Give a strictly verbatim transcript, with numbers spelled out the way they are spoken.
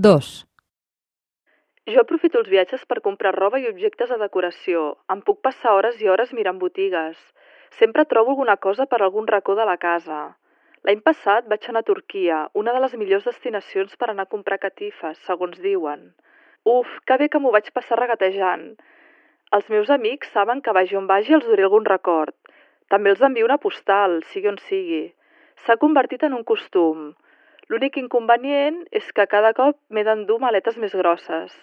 Dos. Jo aprofito els viatges per comprar roba i objectes de decoració. Em puc passar hores i hores mirant botigues. Sempre trobo alguna cosa per algun racó de la casa. L'any passat vaig anar a Turquia, una de les millors destinacions per anar a comprar catifes, segons diuen. Uf, que bé que m'ho vaig passar regatejant. Els meus amics saben que vagi on vagi els duré algun record. També els envio una postal, sigui on sigui. S'ha convertit en un costum. L'únic inconvenient és que cada cop m'he d'endur maletes més grosses.